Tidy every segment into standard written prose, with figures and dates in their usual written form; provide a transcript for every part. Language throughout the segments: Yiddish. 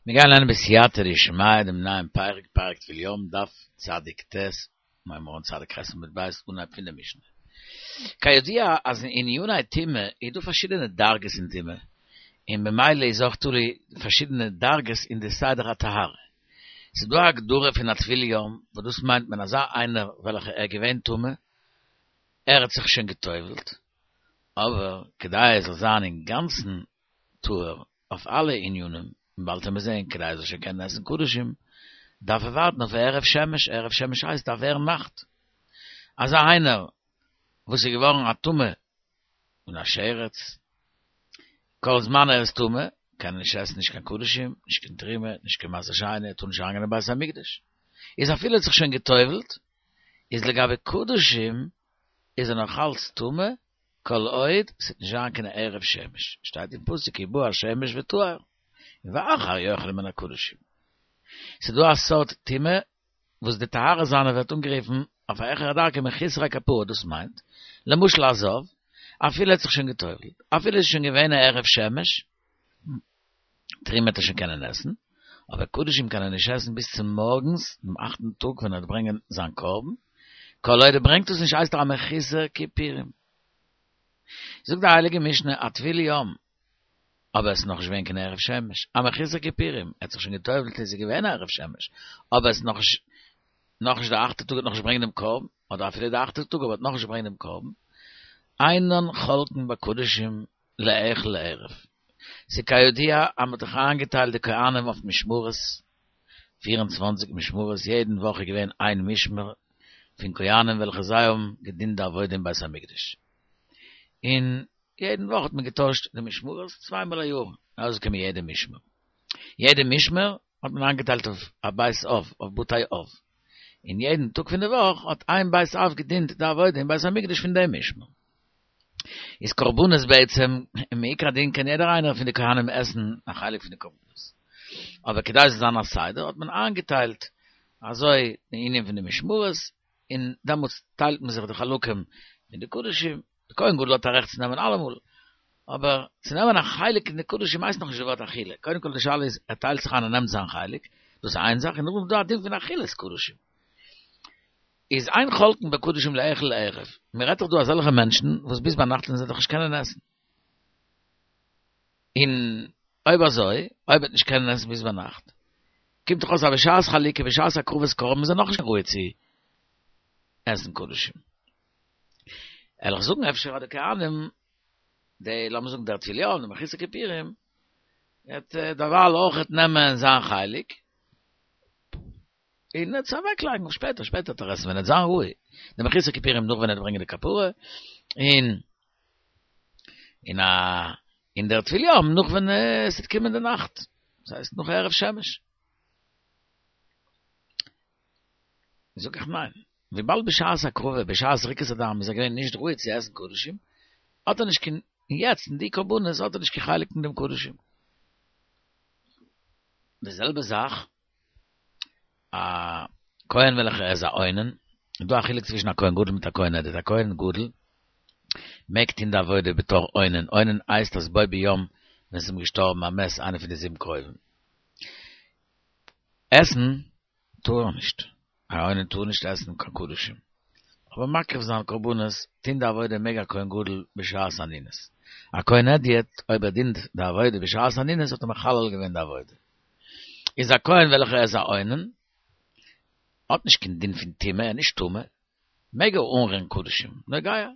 מיר גייען לערנען בסייעתא דשמיא דעם נייעם פרק, פרק טבול יום, דף צדיק ט', הייבן מיר אן צדיק ח' עמוד ב', אנהייב פון די משנה. כידוע אז אין עניני טומאה איז דא פארשידענע דרגות אין טומאה, און במילא איז אויך תלוי פארשידענע דרגות אין די סדר הטהרה. ס'איז דא א הגדרה פון א טבול יום, וואס דאס מיינט מען אזא איינער וועלכע ער איז געווען טמא, ער האט זיך שוין גע'טובל'ט, אבער כדי ער זאל זיין אינגאנצן טהור אויף אלע ענינים, און באלד וועמיר זעהן, כדי ער זאל שוין קענען עסן קדשים, דארף ער ווארטן אויף הערב שמש, הערב שמש הייסט דארף ווערן נאכט. אזא איינער וואס איז געווארן א טמא און א שרץ, כל זמן ער איז טמא, קען ער נישט עסן נישט קיין קדשים, נישט קיין תרומה, נישט קיין מעשר שני, ער טאר נישט אריינגיין אין בית המקדש. איז אפילו ער האט זיך שוין גע'טובל'ט, איז לגבי קדשים איז ער נאך אלץ טמא, כל עוד ס'וועט נישט זיין קיין הערב שמש, שטייט אין פסוק כי בא השמש וטהר, און ואחר יאכל מן הקדשים. ס'איז דא א סארט טומאה וואס די טהרה זיינע ווערט אנגערופן אויף א העכערע דרגה מחוסרי כפרה, דאס מיינט, למשל א זב, אפילו ער האט זיך שוין גע'טובל'ט, אפילו עס איז שוין געווען א הערב שמש, תרומה וועט ער שוין קענען עסן, אבער קדשים קען ער נישט עסן ביז צום מארגנס דעם אכטן טאג ווען ער וועט ברענגען זיין קרבן, כל עוד ער ברענגט עס נישט הייסט ער א מחוסר כיפורים. זאגט די הייליגע משנה א טבול יום, אבער עס איז נאכנישט געווען קיין הערב שמש, א מחוסר כיפורים, ער האט זיך שוין גע'טובל'ט עס איז געווען הערב שמש, אבער עס איז נאכנישט נאכנישט די אכטע טאג ער וועט נאכנישט ברענגען דעם קרבן, אדער אפילו די אכטע טאג אבער ער וועט נאכנישט ברענגען דעם קרבן, אינן חולקין בקדשים לאכול לערב. ס'איז כידוע אז מ'האט דאך איינגעטיילט די כהנים אויף משמרות, 24 משמרות, יעדן וואך איז געווען איין משמר פון כהנים וועלכע זיי האבן געדינט די עבודה אין בית המקדש. און יעדן וואך האט מען געטוישט די משמרות צוויי מאל א יאר, ארויסגעקומען יעדע משמר. יעדע משמר האט מען איינגעטיילט אויף א בית אב, אויף בתי אב. און יעדן טאג פון די וואך האט איין בית אב געדינט די עבודה אין בית המקדש פון דעם משמר. איז קרבנות בעצם, מעיקר הדין קען יעדער איינער פון די כהנים עסן א חלק פון די קרבנות. אבער כדי ס'זאל זיין א סדר האט מען איינגעטיילט אזוי די ענין פון די משמרות, און דעמאלטס טיילט מען זיך די חלקים פון די קדשים, די כהן גדול האט א רעכט צו נעמען אלעמאל, אבער צו נעמען א חלק אין די קדשים הייסט נאכנישט די ווארט אכילה, קודם כל די שאלה איז ער טיילט זיך איין און נעמט זיין חלק, דאס איז איין זאך, און נאכדעם איז דא א דין פון אכילת קדשים. איז אין חולקין בקדשים לאכול לערב, מען רעדט דאך דא אזעלכע מענטשן וואס ביז ביינאכט וועלן זיי דאך נישט קענען עסן, און אויב אזוי, אויב ער וועט נישט קענען עסן ביז ביינאכט, קומט דאך אויס אז בשעת חלוקה, בשעת הקרבת קרבן איז ער נאכנישט ראוי צו עסן קדשים. וועל איך זאגן אפשר אז די כהנים, די לאמיר זאגן דער טבול יום, די מחוסר כיפורים, וועט דערווייל אויכעט נעמען זיין חלק, און עס אוועקלייגן אויף שפעטער, שפעטער וועט ער עסן ווען ער וועט זיין ראוי, די מחוסר כיפורים נאך ווען ער וועט ברענגען די כפרה, און און א און דער טבול יום נאך ווען עס וועט קומען די נאכט, דאס הייסט נאך הערב שמש. זאג איך ניין, וויבאלד בשעת הקרבה, בשעת זריקת הדם איז ער געווען נישט ראוי צו עסן קדשים, האט ער נישט קיין, און יעצט אין די קרבנות האט ער נישט קיין חלק אין דעם קדשים. די זעלבע זאך א כהן וועלכער איז א אונן, איז דא א חילוק צווישן א כהן גדול מיט א כהן הדיוט, א כהן גדול מעג טון די עבודה בתור אונן, אונן הייסט אז בו ביום ווען ס'איז אים געשטארבן א מת איינער פון די זיבן קרובים, עסן טאר ער נישט, א אונן טאר נישט עסן קיין קדשים, אבער מקריב זיין קרבנות, טון די עבודה מעג א כהן גדול בשעת אנינות, א כהן הדיוט אויב ער דינט די עבודה בשעת אנינות האט ער מחלל געווען די עבודה. איז א כהן וועלכער איז א אונן, האט נישט קיין דין פון טומאה, ער איז נישט טמא, מעג ער אנרירן קדשים, נוגע.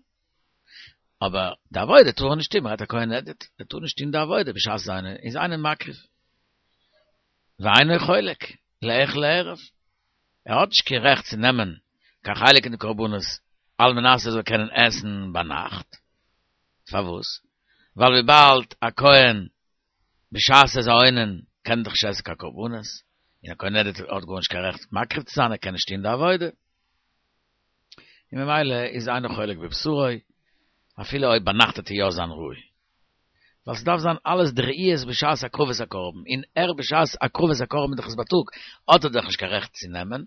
אבער די עבודה טאר ער נישט טון, מ'רעדט א כהן הדיוט, ער טאר נישט טון די עבודה בשעת זיין איז אינו מקריב. ואינו חולק, לאכול לערב. ער האט נישט קיין רעכט צו נעמען קיין חלק אין די קרבנות על מנת ער זאל קענען עסן ביינאכט. פארוואס? ווייל וויבאלד א כהן בשעת ער איז א אונן קען ער דאך נישט עסן קיין קרבנות, און א כהן הדיוט האט גארנישט קיין רעכט מקריב צו זיין, ער קען נישט טון די עבודה, און ממילא איז אינו חולק בבשרו, אפילו אויב ביינאכט וועט ער יא זיין ראוי. ווייל ס'דארף זיין אלעס די ראיות בשעת הקרבת הקרבן, און ער בשעת הקרבת הקרבן איז דאך עס בייטאג, האט ער דאך נישט קיין רעכט צו נעמען,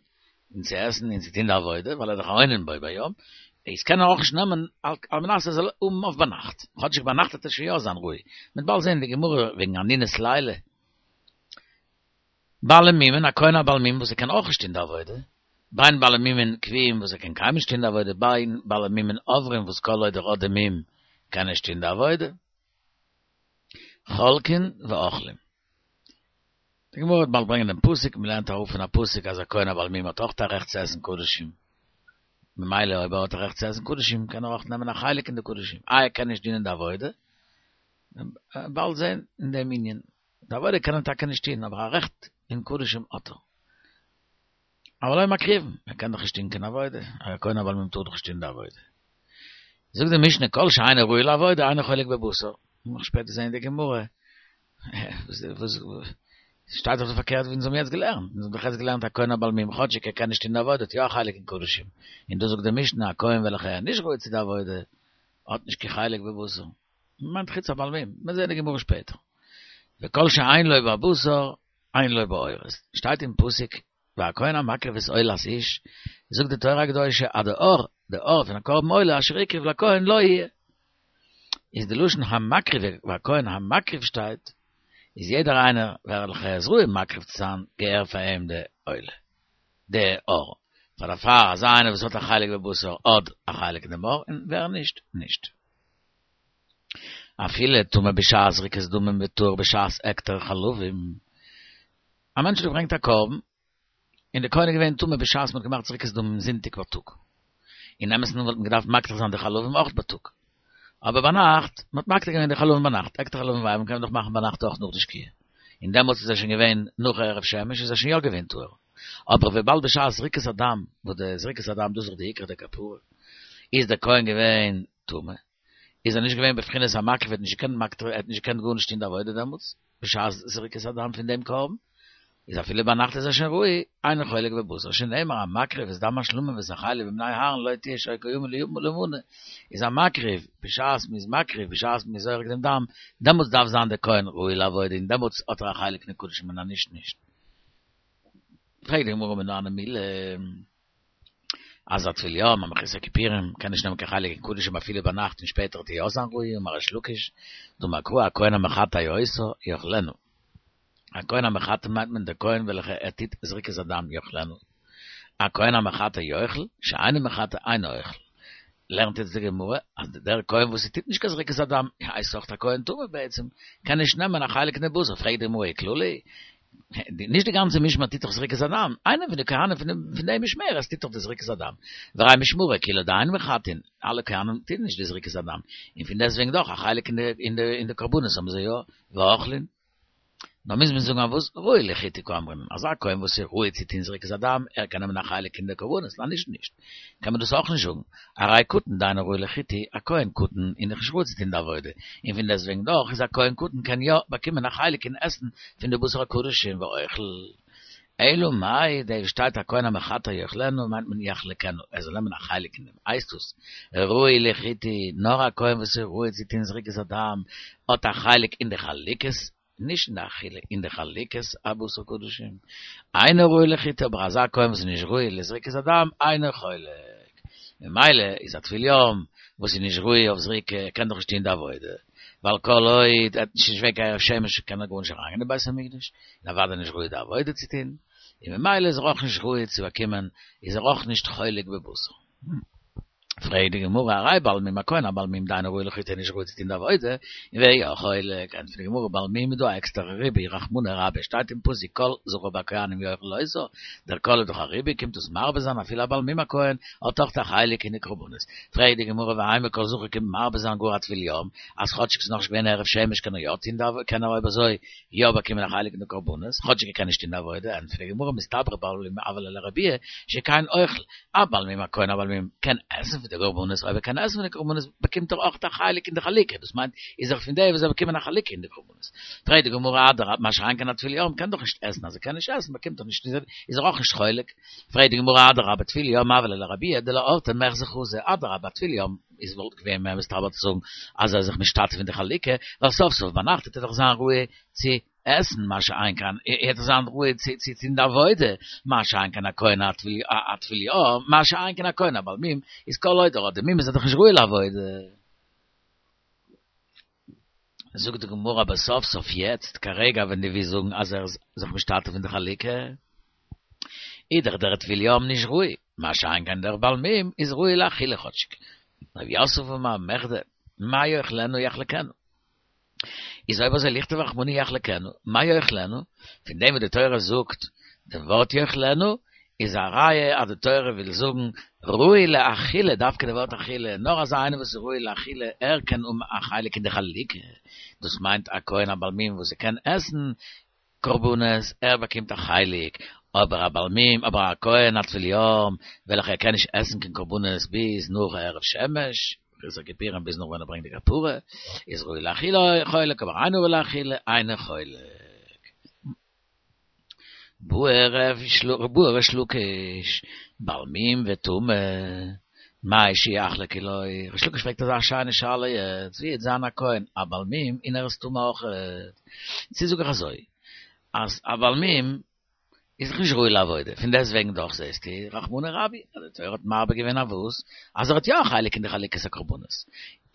און צו עסן און צו טון די עבודה, ווייל ער איז דאך א אונן בו ביום, איז קען ער אויך נישט נעמען על מנת ער זאל האבן אויף ביינאכט, כאטשיג ביינאכט וועט ער שוין יא זיין ראוי, מ'וועט באלד זען אין די גמרא וועגן אנינות לילה. בעלי מומין, א כהן א בעל מום וואס ער קען אויך נישט טון די עבודה, בין בעלי מומין קבועים וואס ער קען קיינמאל נישט טון די עבודה, בין בעלי מומין עוברים וואס כל עוד ער האט די מום קען ער נישט טון די עבודה. חולקין ואוכלים. די גמרא וועט באלד ברענגען דעם פסוק, מען לערנט אראפ פון א פסוק אז א כהן א בעל מום האט אויך א רעכט צו עסן קדשים, ממילא אויב ער האט א רעכט צו עסן קדשים קען ער אויך נעמען א חלק אין די קדשים, איי ער קען נישט דינען די עבודה? באלד זען אין דעם ענין, די עבודה קען ער טאקע נישט טון אבער א רעכט אין קדשים האט ער. אבל לא מקריבין, ער קען דאך נישט טון קיין עבודה, א כהן א בעל מום טאר דאך נישט טון די עבודה. זאגט די משנה כל שאינו ראוי לעבודה אינו חולק בבשר, מ'וועט שפעטער זען אין די גמרא, וואס שטייט דאך פארקערט ווי אונז האבן יעצט געלערנט, אונז האבן דאך יעצט געלערנט א כהן א בעל מום כאטשיג ער קען נישט טון די עבודה האט יא א חלק אין קדשים, און דא זאגט די משנה א כהן וועלכע איז נישט ראוי צו די עבודה האט נישט קיין חלק בבשר, מיינט חוץ א בעל מום, מ'וועט זען די גמרא שפעטער. וכל שאין לו בבשר אין לו בעורות, שטייט אין פסוק והכהן המקריב את עולת איש, זאגט די תורה הקדושה אז די עור, די עור פון א קרבן עולה אשר הקריב לכהן לו יהיה. איז די לשון המקריב והכהן המקריב שטייט, איז יעדער איינער וועלכע איז ראוי מקריב צו זיין געהער פאר אים די עולה, די עור, פאר דערפאר אזא איינער וואס האט א חלק בבשר האט א חלק אין דעם עור און ווער נישט, נישט. אפילו טמא בשעת זריקת דמים וטהור בשעת הקטר חלבים. א מענטש האט געברענגט א קרבן, און דער כהן איז געווען טמא בשעת מ'האט געמאכט זריקת דמים זונטאג בייטאג. אין אמת'ן וואלט מען געדארפט מקטיר זיין די חלבים אויך בייטאג. אבער ביינאכט, מ'האט מקטיר געווען די חלבים ביינאכט, הקטר חלבים ואיברים קען מען דאך מאכן ביינאכט אויך נאך די שקיעה. און דעמאלטס איז ער שוין געווען נאך הערב שמש איז ער שוין יא געווען טהור. אבער וויבאלד בשעת זריקת הדם, וואס די זריקת הדם דאס איז דאך די עיקר דכפרה, איז דער כהן געווען טמא. איז ער נישט געווען בבחינת המקריב, ער האט נישט געקענט מקטיר, ער האט נישט געקענט גארנישט טון די עבודה דעמאלטס, בשעת זריקת הדם פון דעם קרבן, איז אפילו ביינאכט איז ער שוין ראוי, אינו חולק בבשר, שנאמר המקריב את דם השלמים ואת החלב עם בני אהרן לו תהיה שוקה למנה, איז המקריב, בשעת מ'איז מקריב, בשעת מ'איז זורק דעם דם, דעמאלטס דארף זיין דער כהן ראוי לעבודה און דעמאלטס האט ער א חלק אין קדשים און אז נישט נישט. פרעגט די גמרא מנא הני מילי. אז א טבול יום, א מחוסר כיפורים, קען נישט נעמען קיין חלק אין קדשים אפילו ביינאכט און שפעטער וועט ער יא זיין ראוי, אמר ריש לקיש, דאמר קרא הכהן המחטא אותה, יאכלנה. הכהן המחטא מיינט מען דער כהן וועלכע ער טוט זריקת הדם יאכלנה. הכהן המחטא יאכל, שאינו מחטא אינו אוכל. לערנט יעצט די גמרא אז דער כהן וואס ער טוט נישט קיין זריקת הדם הייסט אויך א כהן טמא בעצם, קען נישט נעמען א חלק אין די בשר, פרעגט די גמרא וכללא היא, נישט די גאנצע משמר טוט דאך זריקת הדם, איינער פון די כהנים פון די משמרת טוט דאך די זריקת הדם, והרי משמרה כולה דאין מחטאין, אלע כהנים טוהן נישט די זריקת הדם, און פון דעסטוועגן דאך א חלק אין די קרבנות האבן זיי יא, ואוכלין. נאר מוז מען זאגן אז וואס ראוי לחיטוי קאמרינן, אזא כהן וואס איז ראוי צו טוהן זריקת הדם, ער קען נעמען א חלק אין די קרבנות, אז נישט נישט, קען מען דאס אויך נישט זאגן, הרי קטן דאינו ראוי לחיטוי, א כהן קטן איז נאך נישט ראוי צו טוהן די עבודה, און פון דעסטוועגן דאך איז א כהן קטן קען יא באקומען א חלק אין עסן פון די בשר הקדשים ואוכל. אלא מאי, דא שטייט הכהן המחטא יאכלנה מיינט מען יחלקנה, ער זאל נעמען א חלק אין דעם, הייסט עס, ראוי לחיטוי, נאר א כהן וואס איז ראוי צו טוהן זריקת הדם האט א חלק אין די חלוקת, נישט אין די אכילה, אין די חלוקת הבשר קדשים, אינו ראוי לחיטוי, אבער אזא כהן וואס איז נישט ראוי לזריקת הדם, אינו חולק. ממילא איז א טבול יום וואס איז נישט ראוי אויף זריקה, קען דאך נישט טוהן די עבודה, ווייל כל עוד ער האט נישט געווען קיין הערב שמש קען ער גארנישט אריינגיין אין בית המקדש, און אוודאי נישט ראוי די עבודה צו טוהן, און ממילא איז ער אויך נישט ראוי צו באקומען, איז ער אויך נישט חולק בבשר. פרעגט די גמרא, הרי בעל מום הכהן הבעל מום דאינו ראוי לחיטוי נישט ראוי צו טון די עבודה, און והוא יא חולק, ענטפערט די גמרא, בעל מום איז דא א עקסטערע ריבוי, רחמנא רבה, שטייט אין פסוק כל זכר בכהנים יאכל אותו, דער כל איז דאך א ריבוי, קומט דאס מרבה זיין אפילו א בעל מום הכהן האט אויך א חלק אין די קרבנות, פרעגט די גמרא ואימא כל זכר קומט מרבה זיין גאר א טבול יום, אז כאטשיג ס'איז נאכנישט געווען הערב שמש קען ער יא טון די עבודה, קען ער אויב אזוי יא באקומען א חלק אין די קרבנות, כאטשיג ער קען נישט טון די עבודה, ענטפערט די גמרא מסתברא בעל מום הוה ליה לרבויי שכן אוכל, א בעל מום א כהן א בעל מום קען עסן פון די קרבנות, אויב ער קען עסן פון די קרבנות באקומט ער אויך א חלק אין די חלוקה, דאס מיינט איז ער פון די וואס זיי באקומען א חלוקה אין די קרבנות. פרעגט די גמרא אדרבה מה שאין כן א טבול יום קען דאך נישט עסן, אז ער קען נישט עסן באקומט ער נישט איז ער אויך נישט חולק, פרעגט די גמרא אדרבה טבול יום הוה ליה לרבויי דלאורתא מיחזי חזי, אדרבה א טבול יום איז וואלט געווען מער מסתבר צו זאגן אז ער איז זיך משתתף אין די חלוקה, ווייל סוף סוף ביינאכט וועט ער דאך זיין ראוי צו עסן, מה שאין כן ער וועט דאך זיין ראוי צו צו טון די עבודה, מה שאין כן א כהן א טבול יום, מה שאין כן א כהן א בעל מום, איז כל עוד ער האט די מום איז ער דאך נישט ראוי לעבודה. זאגט די גמרא אבער סוף סוף יעצט כרגע ווען דו ווילסט זאגן אז ער איז זיך משתתף אין די חלוקה, איז דאך דער טבול יום נישט ראוי, מה שאין כן דער בעל מום איז ראוי לאכילה כאטשיג. רב יוסף אמר מכדי מה יאכלנו יחלקנו. איז אויב אזוי לכתוב רחמנא יחלקנו, מה יאכלנו? פון דעם וואס די תורה זאגט דעם ווארט יאכלנו, איז א ראיה אז די תורה וויל זאגן ראוי לאכילה, דווקא די ווארט אכילה, נאר אזא איינער וואס איז ראוי לאכילה, ער קען האבן א חלק אין די חלוקה, דאס מיינט א כהן א בעל מום וואס ער קען עסן קרבנות, ער באקומט א חלק, אבער א בעל מום, אבער א כהן א טבול יום, וועלכער קען נישט עסן קיין קרבנות ביז נאך הערב שמש, מחוסר כיפורים ביז נאך ווען ער ברענגט די כפרה, איז ראוי לאכילה חולק, אבער אינו ראוי לאכילה אינו חולק. בעי ריש לקיש, בעל מום וטמא, מהו שיחלקו לו, ריש לקיש פרעגט אזא שיינע שאלה יעצט, ווי וועט זיין א כהן א בעל מום און ער איז טמא אויכעט? צו זאג איך אזוי, אז א בעל מום איז דאך נישט ראוי לעבודה, פון דעסט וועגן דאך זעסטו רחמנא רבי, אז די תורה האט מרבה געווען אויף וואס? אז ער האט יא א חלק אין די חלוקת הקרבנות,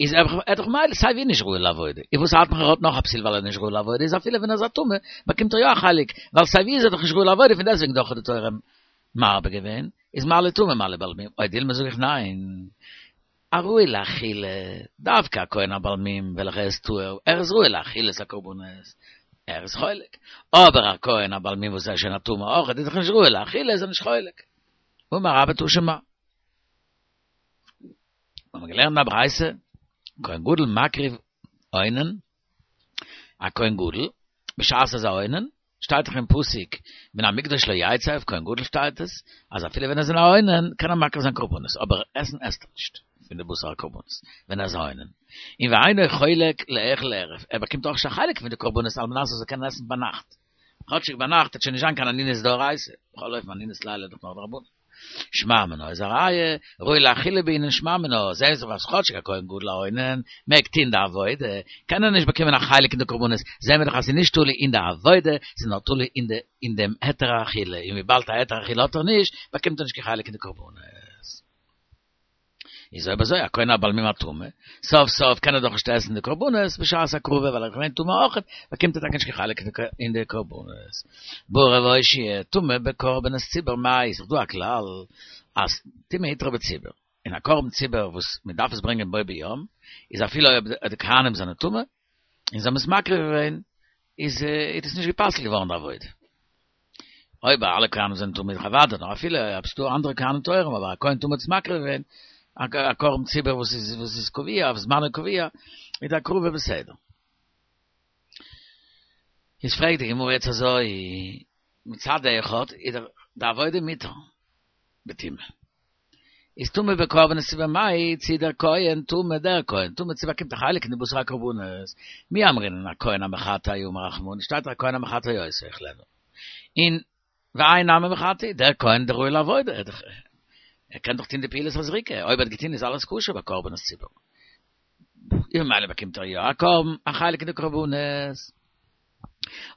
איז ער דאך ממילא סיי ווי נישט ראוי לעבודה, איז וואס ארט מיך ער האט נאך א פסול ווייל ער איז נישט ראוי לעבודה, איז אפילו ווען ער איז א טמא באקומט ער יא א חלק, ווייל סיי ווי איז ער דאך נישט ראוי לעבודה, פון דעסט וועגן דאך האט די תורה מרבה געווען, איז מה לי טמא מה לי בעל מום, או דילמא זאג איך ניין, א ראוי לאכילה, דווקא א כהן א בעל מום וועלכער איז טהור, ער איז ראוי לאכילת הקרבנות, ער איז חולק, אבער א כהן א בעל מום וואס איז שוין א טמא אויך, איז דאך נישט ראוי לאכילה איז ער נישט חולק. אמר רבה תא שמע. האבן מיר געלערנט אין א ברייתא, כהן גדול מקריב אונן, א כהן גדול, בשעת ער איז א אונן, שטייט דאך אין פסוק מן המקדש לא יצא, אויף כהן גדול שטייט עס, אז אפילו ווען ער איז אין א אונן קען ער מקריב זיין קרבנות, אבער עסן עסט ער נישט פון די בשר הקרבנות ווען ער איז א אונן. און ואינו חולק לאכול לערב, ער באקומט אויך נישט א חלק פון די קרבנות על מנת ער זאל קענען עסן ביינאכט, כאטשיג ביינאכט וועט שוין נישט זיין קיין אנינות דאורייתא, בכל אופן אנינות לילה איז דאך נאר דרבנן. שמע מינה איז א ראיה, ראוי לאכילה בעינן שמע מינה, זעהן זיך אז כאטשיג א כהן גדול א אונן מעג טוהן די עבודה, קען ער נישט באקומען א חלק אין די קרבנות, זעהן מיר דאך אז ס'איז נישט תלוי אין די עבודה, ס'איז נאר תלוי אין די אין דעם היתר האכילה, און וויבאלד א היתר אכילה האט ער נישט, באקומט ער נישט קיין חלק אין די קרבנות. איז אויב אזוי א כהן א בעל מום הטמא, סוף סוף קען ער דאך נישט עסן די קרבנות בשעת הקרבה ווייל ער איז געווען טמא אויכעט, באקומט ער טאקע נישט קיין חלק אין די קרבנות. בעי רב אושעיא, טומאה בקרבנות ציבור מאי, איז דאך דא א כלל אז טומאה הותרה בציבור, און א קרבן ציבור וואס מען דארף עס ברענגען בו ביום, איז אפילו אויב די כהנים זענען טמא, און זיי האבן עס מקריב געווען, איז איז עס נישט גע'פסל'ט געווארן די עבודה. אויב אלע כהנים זענען טמא איז דאך אוודאי, נאר אפילו אויב ס'דא אנדערע כהנים טהורים אבער א כהן טמא האט עס מקריב געווען, א קרבן ציבור וואס איז וואס איז קבוע אויף זמנו קבוע, איז די הקרבה בסדר. איז פרעגט די גמרא יעצט אזוי, מצד אחד איז דאך די עבודה מותר בטומאה. איז טומאה בקרבנות ציבור מאי, צי דער כהן טמא דער כהן טמא צי באקומט א חלק אין די בשר הקרבנות, מי אמרינן הכהן המחטא אמר רחמנא, שטייט דאך הכהן המחטא אותו יאכלנו. און והאי נמי מחטא, דער כהן דער ראוי לעבודה, ער דאך ער קען דאך טון די פעולת הזריקה, אויב ער האט געטון איז אלעס כשר ביי קרבנות ציבור. און ממילא באקומט ער יא א קרבן, א חלק אין די קרבנות.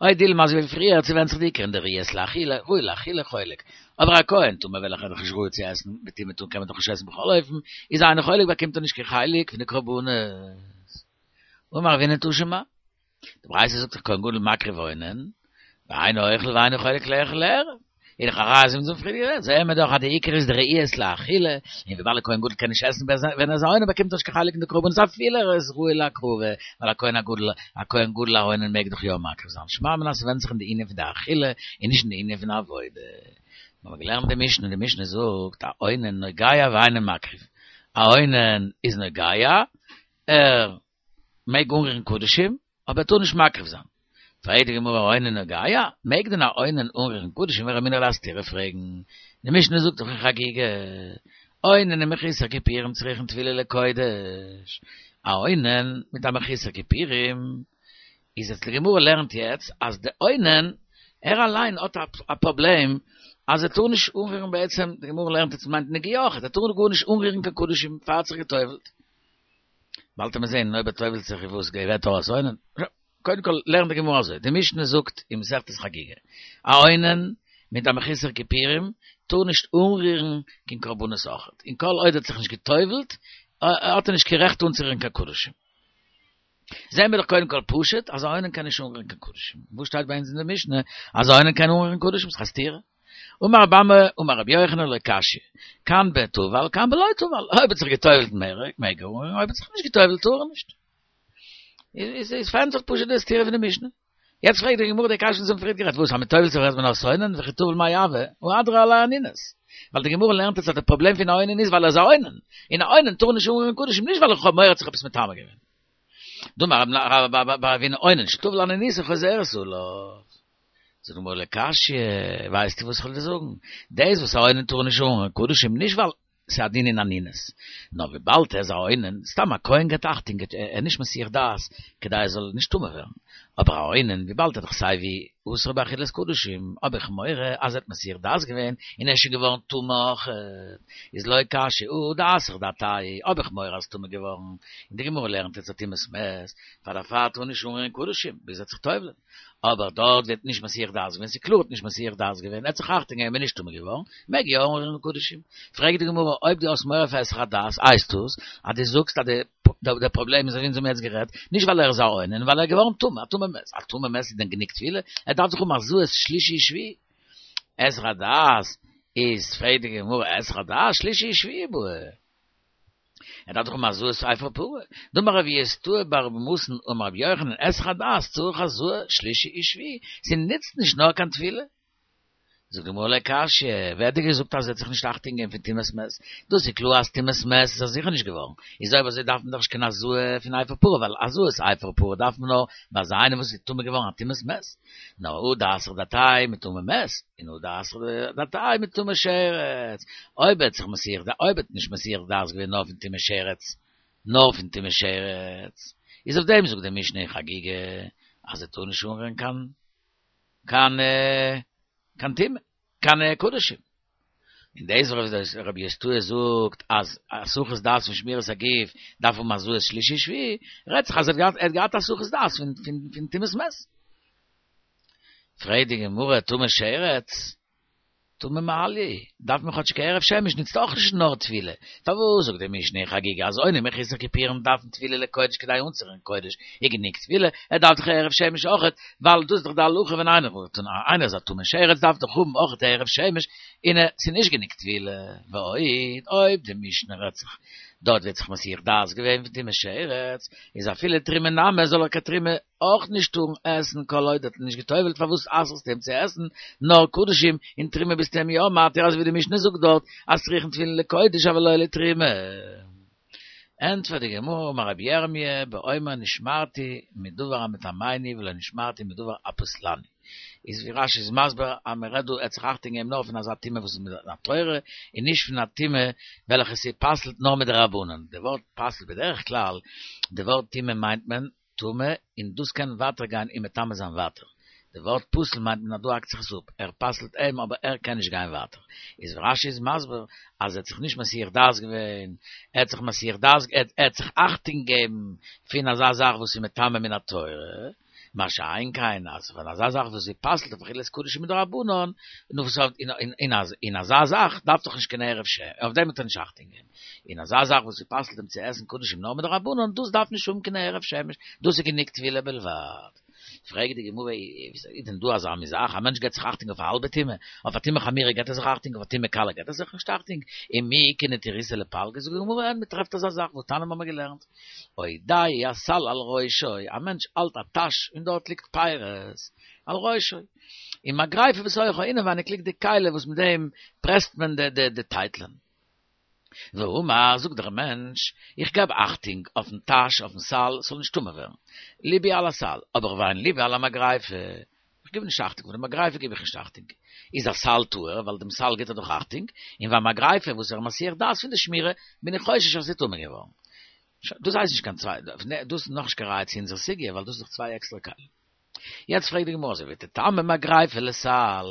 או דילמא אזוי ווי פריער ס'ווענדט זיך די עיקר אין די ראיות לאכילה, ראוי לאכילה חולק. אבער א כהן טמא וועלכער איז דאך נישט ראוי צו עסן, בטומאה קען מען דאך נישט עסן בכל אופן, איז אינו חולק באקומט ער נישט קיין חלק פון די קרבנות. אמר רבינא תא שמע, די ברייתא זאגט דאך כהן גדול מקריב אונן, ואינו אוכל ואינו חולק לאכול לערב. איז דאך א ראיה אז אונז האבן פריער גערעדט, זעען מיר דאך אז די עיקר איז די ראיות לאכילה, און וויבאלד א כהן גדול קען נישט עסן ווען ער איז א אונן באקומט ער נישט קיין חלק אין די קרבנות אפילו ער איז ראוי להקרבה, ווייל א כהן הגדול, א כהן גדול א אונן מעג דאך יא מקריב זיין. שמע מינה ס'ווענדט זיך אין די ענין פון די אכילה און נישט אין די ענין פון עבודה. מיר האבן געלערנט די משנה, די משנה זאגט א אונן נוגע ואינו מקריב, א אונן איז נוגע, ער מעג אנרירן קדשים, אבער ער טאר נישט מקריב זיין. פרעגט די גמרא אונן נוגע, מעג דען א אונן אנרירן קדשים ורמינהו א סתירה פרעגן, די משנה זאגט דאך אין חגיגה, אונן ומחוסר כיפורים צריכין טבילה לקודש, א אונן מיט א מחוסר כיפורים, איז יעצט די גמרא לערנט יעצט אז די אונן ער אליין האט א פראבלעם אז ער טאר נישט אנרירן בעצם, די גמרא לערנט יעצט מיינט נגיעה אויכעט, ער טאר גארנישט אנרירן קיין קדשים פאר ער האט זיך גע'טובל'ט. באלד וועט מען זען אויב ער טובל'ט זיך איז וואס געוועט אויס אונן. קודם כל לערנט די גמרא אזוי, די משנה זאגט אין מסכת חגיגה, א אונן מיט א מחוסר כיפורים טאר נישט אנרירן קיין קרבנות אויכעט, און כל עוד ער האט זיך נישט געטובל'ט האט ער נישט קיין רעכט אנצורירן קיין קדשים. זעהן מיר דאך קודם כל פשוט אז א אונן קען נישט אנרירן קיין קדשים. וואו שטייט ביי אונז אין די משנה אז א אונן קען אנרירן קדשים? ס'איז א סתירה. אמר רבי אמי אמר רבי יוחנן לא קשיא, כאן בטבל כאן בלא טבל, אויב האט זיך געטובלט מעג ער אנרירן, אויב האט זיך נישט געטובלט טאר ער נישט. איז פארענטפערט פשוט די סתירה פון די משנה. יעצט פרעגט די גמרא די קשיא וואס מ'האט פריערט גערעדט, וואס אז מ'טובל'ט זיך ווערט מען אויס אונן, וכי טבל מאי הוי, הא הדרא עליה אנינות. ווייל די גמרא לערנט אונז אז די פראבלעם פון א אונן איז ווייל ער איז א אונן, און א אונן טאר נישט אנרירן קדשים נישט ווייל איך האב מורא ער האט זיך עפעס מטמא געווען. דאמר רבה בר אבינא אונן שטבל אנינותו חוזרת עליו. זאגט די גמרא לא קשיא, ווייסטו וואס איך וועל דיר זאגן, דאס וואס א אונן טאר נישט אנרירן קדשים נישט ווייל ס'איז א דין אין אנינות. נאר וויבאלד ער איז א אונן, סתם א כהן געבט אכטונג, ער איז נישט מסיח דעת כדי ער זאל נישט טמא ווערן. אבער א אונן, וויבאלד ער איז דאך סייווי אסור באכילת קדשים, האב איך מורא אז ער האט מסיח דעת געווען און ער איז שוין געווארן טמא אויך. איז לא קשיא הא דאסח דעתיה, האב איך מורא אז טמא געווארן. און די גמרא לערנט אונז א טומאת מת, פאר דערפאר טאר נישט אנרירן קדשים ביז ער וועט זיך טובל'ען. אבער דארט ווערט נישט מסיח דעת געווען, ס'איז קלאר האט נישט מסיח דעת געווען, ער האט זיך אכטונג געגעבן און נישט טמא געווארן, מעג יא אנרירן קדשים. פרעגט די גמרא, אויב דו האסט מורא פאר היסח הדעת, הייסט דאס אז דו זאגסט אז די פראבלעם איז אזוי ווי אונז האבן יעצט גערעדט, נישט ווייל ער איז א אונן, ווייל ער איז געווארן טמא, א טמא מת, א טמא מת איז דען גענוג טבילה? ער דארף דאך האבן הזאת שלישי ושביעי. היסח הדעת איז, פרעגט די גמרא, היסח הדעת שלישי ושביעי בעי. ער דארף דאך האבן הזאת אפר פרה. דאמר רב יוסתאי בר מתנה אמר רבי יוחנן היסח הדעת צריך הזאה שלישי ושביעי, ס'נוצט נישט נאר קיין טבילה. זאגט די גמרא לא קשיא, ווער האט דיר געזאגט אז ער האט זיך נישט אכטונג געגעבן פון טומאת מת? דאס איז קלאר אז טומאת מת איז ער זיכער נישט געווארן, איז אויב אזוי דארף מען דאך נישט קיין הזאה פון אפר פרה, ווייל הזאת אפר פרה דארף מען נאר ביי אזא איינער וואס איז טמא געווארן א טומאת מת. נאר הא דאסח דעתיה מטמא מת, און הא דאסח דעתיה מטמא שרץ, אויב ער האט זיך מסיח דעת, אויב ער האט נישט מסיח דעת געווען נאר פון טומאת שרץ, נאר פון טומאת שרץ, איז אויף דעם זאגט די משנה אין חגיגה אז ער טאר נישט אנרירן קיין קיין קיין טומאה, קיין קדשים. און דאס וואס רבי יוסתאי זאגט אז הסחת דעת פון שמירת הגוף דארף האבן הזאת שלישי שביעי, רעדט זיך אז ער האט געהאט הסחת דעת פון טומאת מת. פרעגט די גמרא טמא שרץ, טמא מעליא, דארף מען כאטשיג הערב שמש נוצט אויך נישט נאר טבילה, פארוואס זאגט די משנה אין חגיגה אז אונן מחוסר כיפורים דארפן טבילה לקודש כדי אנצורירן קודש איז גענוג טבילה, ער דארף דאך הערב שמש אויכעט, ווייל דאס איז דאך די הלכה ווען איינער וואלט און איינער איז א טמא שרץ דארף דאך האבן אויכעט הערב שמש און ס'איז נישט גענוג טבילה, ועוד, אויב די משנה רעדט זיך דארט ווערט זיך מסיח דעת געווען פון טומאת שרץ, איז אפילו תרומה נמי זאל ער קיין תרומה אויך נישט טארן עסן כל עוד האט ער נישט גע'טובל'ט פארוואס אסר'סטו אים צו עסן נאר קדשים און תרומה ביסטו אים יא מתיר אזוי ווי די משנה זאגט דארט אז צריכין תבילין לקודש אבל לא לתרומה. ענטפערט די גמרא אמר רבי ירמי' באומר נשמרתי מדבר המטמאני ולא נשמרתי מדבר הפוסלני איז ווי רש"י איז מסביר אז מען רעדט דא ער האט זיך אכטונג געגעבן נאר פון אזא טומאה וואס איז מן התורה און נישט פון א טומאה וועלכע ס'פסל'ט נאר מדרבנן די ווארט פסל'ט בדרך כלל די ווארט טומאה מיינט מען טמא, און דאס קען ווייטער גיין און מטמא זיין ווייטער. די ווארט פסול מיינט מען אז דא האקט זיך עס אפ, ער פסל'ט אים אבער ער קען נישט גיין ווייטער. איז רש"י איז מסביר אז ער האט זיך נישט מסיח דעת געווען, ער האט זיך מסיח דעת ער האט זיך אכטונג געגעבן פון אזא זאך וואס איז מטמא מן התורה, מה שאין כן אז פון אזא זאך וואס זי פסל'ט אויף אכילת קדשים מדרבנן, נו וואס אין אזא זאך דארף דאך נישט קיין הערב שמש, אויף דעם האט ער נישט אכטונג געגעבן. און אזא זאך וואס ס'פסל'ט אים צו עסן קדשים נאר מדרבנן, דאס דארף נישט האבן קיין הערב שמש, דאס איז גענוג טבילה בלבד. פרעגט די גמרא, איז דען דא אזא מין זאך, א מענטש געבט זיך אכטונג אויף א האלבע טומאה, אויף א טומאה חמורה געבט ער זיך אכטונג, אויף א טומאה קלה געבט ער זיך נישט אכטונג, ומי איכא נטירותא לפלגא, זאגט די גמרא, אין, מ'טרעפט אזא זאך, והתניא האבן מיר געלערנט, עודהו הסל על ראשו, א מענטש האלט א טאש און דארט ליגט פירות, על ראשו, ומגריפה בתוכה, אינעווייניג ליגט די כלי וואס מיט דעם פרעסט מען די טייטלען. ואמר, זאגט דער מענטש, איך געב אכטונג אויפן טאש, אויפן סל, ס'זאל נישט טמא ווערן. ליבי על הסל, אבער ואין ליבי על המגריפה. איך גיב נישט אכטונג, אויף די מגריפה גיב איך נישט אכטונג. איז הסל טהור, ווייל דעם סל גיט ער דאך אכטונג, און והמגריפה וואס ער איז מסיח דעת פון די שמירה, בין איך חושש אז ס'איז טמא געווארן. דאס הייסט נישט קיין צוויי, דאס איז נאכנישט קיין ראיה צו אונזער סוגיא, ווייל דאס איז דאך צוויי עקסטערע כלים. יעצט פרעגט די גמרא אזוי ותטמא מגריפה לסל,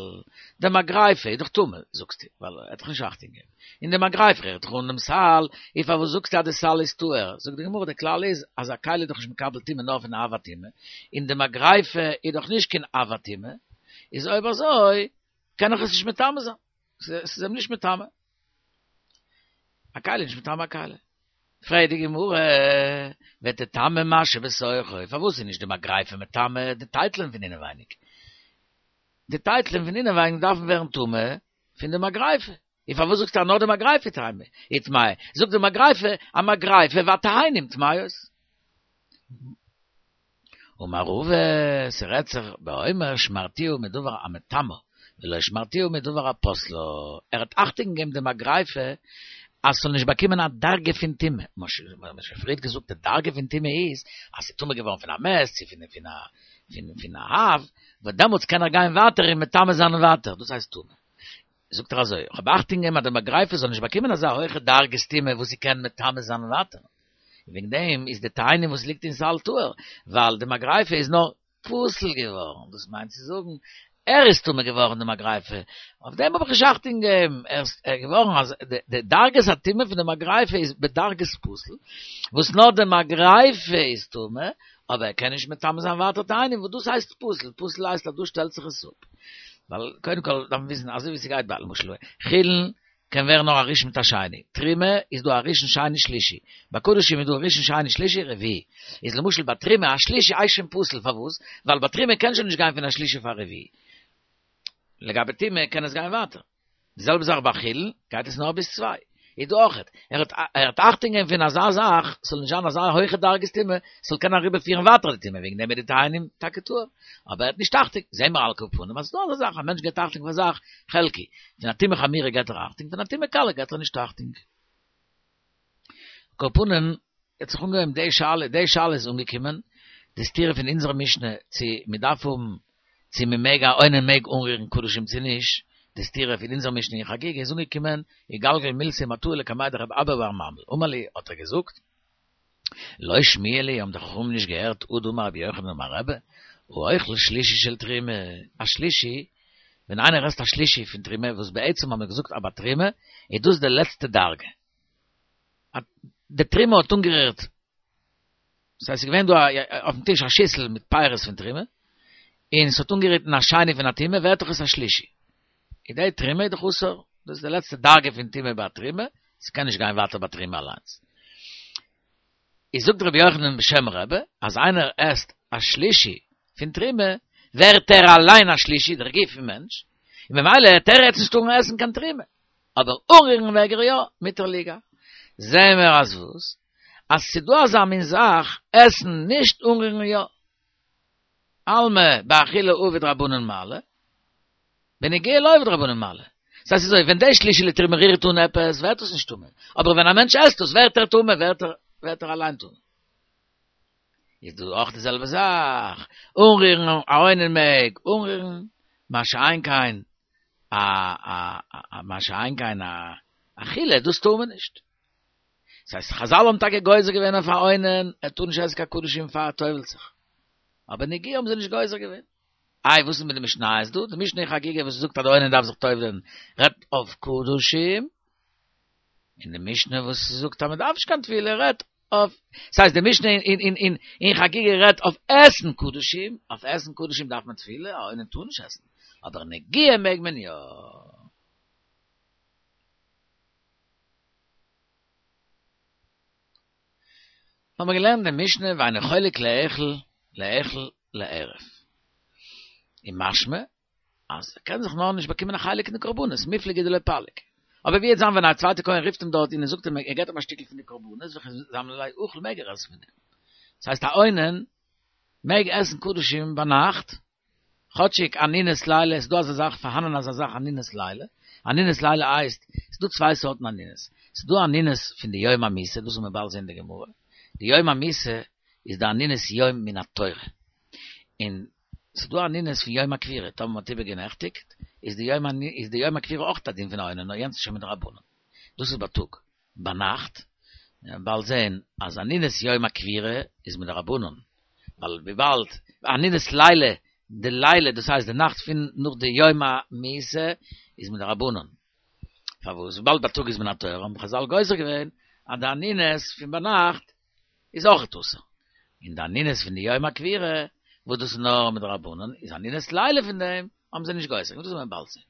די מגריפה איז דאך טמא, זאגסטו, ווייל ער האט דאך נישט אכטונג געגעבן, און די מגריפה רירט דאך אן דעם סל, איז פארוואס זאגסטו אז די סל איז טהור? זאגט די גמרא די כלל איז אז א כלי איז דאך נישט מקבל טומאה נאר פון אב הטומאה, און די מגריפה איז דאך נישט קיין אב הטומאה, איז אויב אזוי קען איך עס נישט מטמא זיין, ס'איז אים נישט מטמא. א כלי איז נישט מטמא א כלי. פרעגט די גמרא, ותטמא מה שבתוכו, פארוואס איז נישט די מגריפה מטמא די טייטלען פון אינעווייניג? די טייטלען פון אינעווייניג דארפן ווערן טמא פון די מגריפה, און פארוואס זאגסטו אז נאר די מגריפה איז טמאה? זאג די מגריפה, המגריפה והתאנים טמאות. אמר רבא, ס'רעדט זיך באומר שמרתיהו מדבר המטמאה, ולא שמרתיהו מדבר הפוסלה, ער האט אכטונג געגעבן די מגריפה אז ס'זאל נישט באקומען א דרגה פון טומאה, מ'האט שוין פריערט געזאגט די דרגה פון טומאה איז אז ס'איז טמא געווארן פון א מת צו פון א האב, וואס דעמאלטס קען ער גיין ווייטער און מטמא זיין ווייטער, דאס הייסט טומאה. זאגט ער אזוי, איך האב אכטונג געגעבן אז די מגריפה זאל נישט באקומען אזא הויכע דרגת טומאה וואס זי קען מטמא זיין ווייטער. און וועגן דעם איז די תאנים וואס ליגט אין סל טהור, ווייל די מגריפה איז נאר פסול געווארן, דאס מיינט צו זאגן, ער איז טמא געווארן די מגריפה, אויף דעם האב איך נישט אכטונג געגעבן, ער איז געווארן אז די דרגת הטומאה פון די מגריפה איז בדרגת פסול, וואס נאר די מגריפה איז טמא, אבער ער קען נישט מטמא זיין ווייטער תאנים, וואס דאס הייסט פסול, פסול הייסט אז דא שטעלט זיך עס אפ. ווייל קודם כל דארף מען וויסן אזוי ווי ס'גייט ביי למשל חולין קען ווערן נאר א ראשון מיט א שני, תרומה איז דא א ראשון שני שלישי, ביי קדשים איז דא ראשון שני שלישי רביעי, איז למשל ביי תרומה א שלישי הייסט שוין פסול פארוואס? ווייל ביי תרומה קען שוין נישט גיין פון א שלישי פאר רביעי, לגבי טומאה קען עס גיין ווייטער. די זעלבע זאך ביי חולין, גייט עס נאר ביז צוויי. איז דא אויכעט, ער האט ער האט אכטונג געגעבן פון אזא זאך, ס'זאל נישט זיין אזא הויכע דרגת טומאה, ס'זאל קענען אריבער פירן ווייטער די טומאה, וועגן דעם איז די תאנים טאקע טהור. אבער ער האט נישט אכטונג, זעהן מיר על כל פנים אז ס'דא אזא זאך, א מענטש געבט אכטונג פון א זאך, חלקי. פון א טומאה חמורה געבט ער אכטונג, פון א טומאה קלה געבט ער נישט אכטונג. על כל פנים, האט זיך אנגעהויבן די שאלה, די שאלה איז אנגעקומען, די סתירה פון אונזערע משנה צו מ'דארף האבן צו מען מעג א אונן מעג אנרירן קדשים צו נישט, די סתירה פון אונזער משנה אין חגיגה איז אנגעקומען, איגלגל מילתא מטאי לקמיה דרב אבא בר ממל, אמר להו האט ער געזאגט, לא שמיע להו האבן די חכמים נישט געהערט הא דאמר רבי יוחנן אמר רבי, האוכל שלישי של תרומה, א שלישי, ווען איינער עסט א שלישי פון תרומה, וואס בעצם האבן מיר געזאגט אז ביי תרומה איז דאס די לעצטע דרגה, די תרומה האט אנגערירט ס'הייסט ס'איז געווען דא אויפן טיש א שיסל מיט פירות פון תרומה, און ס'האט אנגערירט אין א שני פון א טומאה, ווערט דאך עס א שלישי. איז די תרומה איז דאך אסור, דאס איז די לעצטע דרגה פון טומאה ביי תרומה, ס'קען נישט גיין ווייטער ביי תרומה אליינס. איז זאגט רבי יוחנן בשם רבי, אז איינער עסט א שלישי פון תרומה, ווערט ער אליין א שלישי, דער גוף פון מענטש, און ממילא העט ער יעצט נישט טארן עסן קיין תרומה. אבער אנרירן מעג ער יא, מותר ליגע. זעהן מיר אז וואס? אז ס'דא אזא מין זאך, עסן נישט אנרירן יא. אלמא באכילה עביד רבנן מעלי, בנגיעה לא עביד רבנן מעלי. ס'הייסט אזוי, ווען די שלישי לתרומה רירט אן עפעס, ווערט עס נישט טמא. אבער ווען א מענטש עסט עס, ווערט ער טמא, ווערט ער ווערט ער אליין טמא. איז דא אויך די זעלבע זאך, אנרירן א אונן מעג אנרירן, מה שאין כן א א מה שאין כן א אכילה, דאס טאר מען נישט. דאס הייסט חזל האבן טאקע גוזר געווען אויף א אונן, ער טאר נישט עסן קיין קדשים פאר ער טובל'ט זיך. אבער נגיעה האבן זיי נישט גוזר געווען. איי וואס איז מיט די משניות דא? די משנה אין חגיגה וואס זאגט אז די אונן דארף זיך טובל'ען רעדט אויף קדשים, און די משנה וואס זאגט אז מען דארף נישט קיין טבילה רעדט אויף, ס'הייסט די משנה אין אין אין אין חגיגה רעדט אויף עסן קדשים, אויף עסן קדשים דארף מען טבילה, א אונן טאר נישט עסן, אבער נגיעה מעג מען יא. האבן מיר געלערנט די משנה ואינו חולק לאכול לאכול לערב. און משמע אז ער קען זיך נאר נישט באקומען א חלק אין די קרבנות, מיפלגי דלא פליג. אבער ווי וועט זיין ווען א צווייטע כהן רופט אים דארט און ער זאגט אים ער געט אים א שטיקל פון די קרבנות וכי זמין ליה אכיל מעג ער עסן פון דעם. דאס הייסט א אונן מעג עסן קדשים ביינאכט, כאטשיג אנינות לילה, ס'איז דא אזא זאך פארהאנען אזא זאך אנינות לילה, אנינות לילה הייסט, ס'איז דא צוויי סארטן אנינות, ס'איז דא אנינות פון די יום המיתה, דאס וועט מען באלד זען אין די גמרא, די יום המיתה איז די אנינות יום מן התורה, און ס'איז דא אנינות פון יום הקבורה, טאמער מ'האט איבערגענעכטיגט, איז די יום איז די יום הקבורה אויך א דין פון א אונן, נאר יענץ איז שוין מדרבנן. דאס איז בייטאג. ביינאכט, מ'וועט באלד זען אז אנינות יום הקבורה איז מדרבנן, ווייל וויבאלד אנינות לילה, די לילה דאס הייסט די נאכט פון נאך די יום המיתה איז מדרבנן. פארוואס? וויבאלד בייטאג איז מן התורה האבן חזל גוזר געווען אז די אנינות פון ביינאכט איז אויך אסור. און די אנינות פון די יום הקבורה, וואס דאס איז נאר מדרבנן, איז אנינות לילה פון דעם האבן זיי נישט גוזר געווען, דאס וועט מען באלד זען.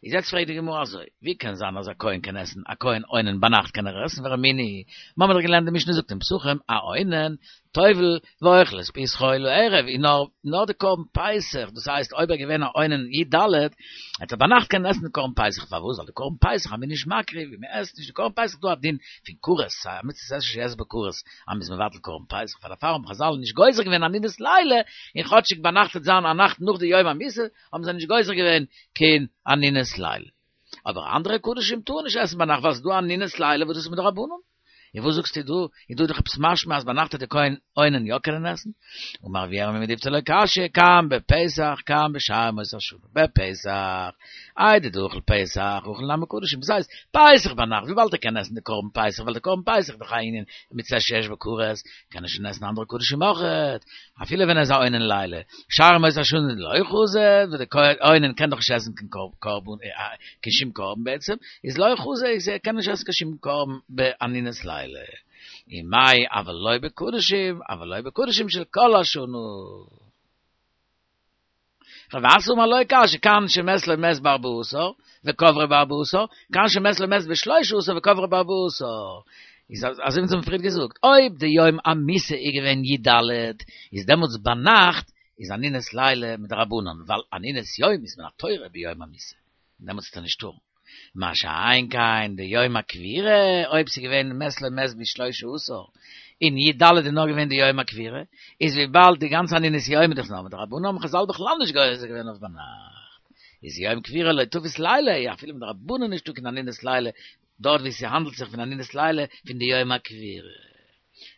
איז יעצט פרעגט די גמרא אזוי, ווי קען זיין אז א כהן קען עסן, א כהן אונן ביינאכט קען ער עסן, ורמינהי, מ'האמיר דאך געלערנט די משנה זאגט אין פסחים, א אונן, טובל, ואוכל את פסחו לערב, און נאר נאר די קרבן פסח, דאס הייסט אויב ער געווען א אונן י ד, וועט ער ביינאכט קענען עסן די קרבן פסח, פארוואס? ווייל די קרבן פסח אז מ'איז נישט מקריב און מ'עסט נישט די קרבן פסח איז דא א דין פון כרת, א מצות עשה שיש בה כרת, אז מ'איז מבטל קרבן פסח, פאר דערפאר האבן חזל נישט גוזר געווען אנינות לילה, און כאטשיג ביינאכט וועט זיין א נאכט נאך די יום המיתה, האבן זיי נישט גוזר געווען קיין אנינות לילה. אבער אנדערע קדשים טארן נישט עסן ביינאכט ווייל ס'איז דא אנינות לילה וואס דאס איז מדרבנן. און וואס זאגסטו דא? איז דא דאך עפעס משמע אז ביינאכט וועט די כהן אונן יא קענען עסן? אמר רב ירמי' מתיבתא לא קשיא, כאן בפסח כאן בשאר ימות השנה. בפסח, איידי דאכיל פסח, אכיל נמי קדשים. דאס הייסט, פסח ביינאכט, וויבאלד ער קען עסן די קרבן פסח, ווייל די קרבן פסח איז דאך א ענין מצות שיש בה כרת, קען ער שוין עסן אנדערע קדשים אויכעט, אפילו ווען ער איז א אונן לילה. שאר ימות השנה לא חזי, וואס די כהן אונן קען דאך נישט עסן קיין קרבן, קיין שום קרבן בעצם, איז לא חזי, איז ער קען נישט עסן קיין שום קרבן באנינות לילה. ומאי אבל לא בקדשים, אבל לא בקדשים של כל השנה. רב אסי אמר לא קשיא, כאן שמת לו מת בארבעה עשר, וקברו בארבעה עשר, כאן שמת לו מת בשלושה עשר וקברו בארבעה עשר. איז אזוי ווי אונז האבן פריער געזאגט, אויב די יום המיתה איז געווען י ד, איז דעמאלטס ביינאכט איז אנינות לילה מדרבנן, ווייל אנינות יום איז מן התורה ביום המיתה, און דעמאלטס וועט ער נישט טארן. מה שאין כן די יום הקבירה, אויב ס'איז געווען מת לו מת בשלושה עשר, און י ד איז נאר געווען די יום הקבירה, איז וויבאלד די גאנצע אנינות יום איז דאך נאר מדרבנן האבן חזל בכלל נישט גוזר געווען אויף ביינאכט, איז יום קבירה לא תפיס לילה, אפילו מדרבנן נישטא קיין אנינות לילה, דארט ווי ס'האנדלט זיך פון אנינות לילה פון די יום הקבירה.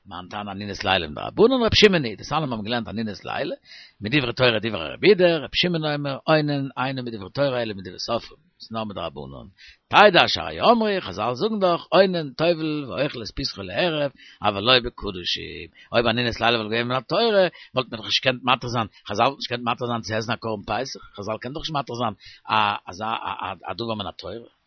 מאן תנא אנינות לילה מדרבנן ר' שמעון היא, דתניא מיר האבן געלערנט אנינות לילה, מדברי תורה דברי רבי יהודה, ר' שמעון אומר, אונן אינו מדברי תורה אלא מדברי סופרים, ס'איז נאר מדרבנן. תדע שהרי אמרו, חזל זאגן דאך, אונן טובל ואוכל את פסחו לערב, אבל לא בקדשים. אויב אנינות לילה וואלט געווען מן התורה, וואלט מען דאך נישט געקענט מתיר זיין, חזל וואלט נישט געקענט מתיר זיין צו עסן א קרבן פסח, חזל קען דאך נישט מתיר זיין א אזא א דבר מן התורה.